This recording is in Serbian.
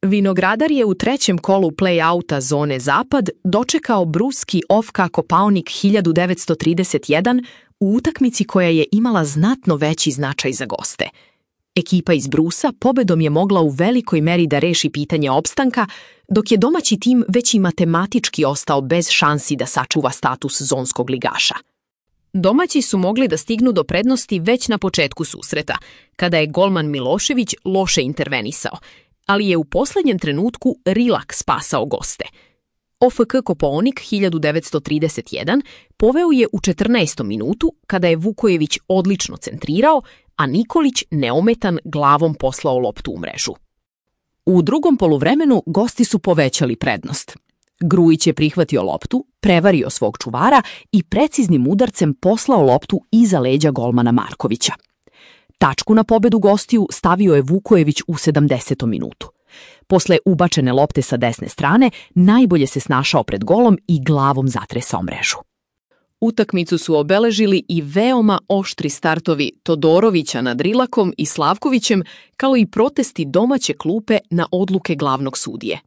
Vinogradar je u trećem kolu play-outa zone Zapad dočekao bruski OFK Kopaonik 1931 u utakmici koja je imala znatno veći značaj za goste. Ekipa iz Brusa pobedom je mogla u velikoj meri da reši pitanje opstanka, dok je domaći tim već i matematički ostao bez šansi da sačuva status zonskog ligaša. Domaći su mogli da stignu do prednosti već na početku susreta, kada je golman Milošević loše intervenisao, ali je u poslednjem trenutku Rilak spasao goste. OFK Kopaonik 1931 poveo je u 14. minutu kada je Vukojević odlično centrirao, a Nikolić neometan glavom poslao loptu u mrežu. U drugom poluvremenu gosti su povećali prednost. Grujić je prihvatio loptu, prevario svog čuvara i preciznim udarcem poslao loptu iza leđa golmana Markovića. Tačku na pobedu gostiju stavio je Vukojević u 70. minutu. Posle ubačene lopte sa desne strane, najbolje se snašao pred golom i glavom zatresao mrežu. Utakmicu su obeležili i veoma oštri startovi Todorovića nad Rilakom i Slavkovićem, kao i protesti domaće klupe na odluke glavnog sudije.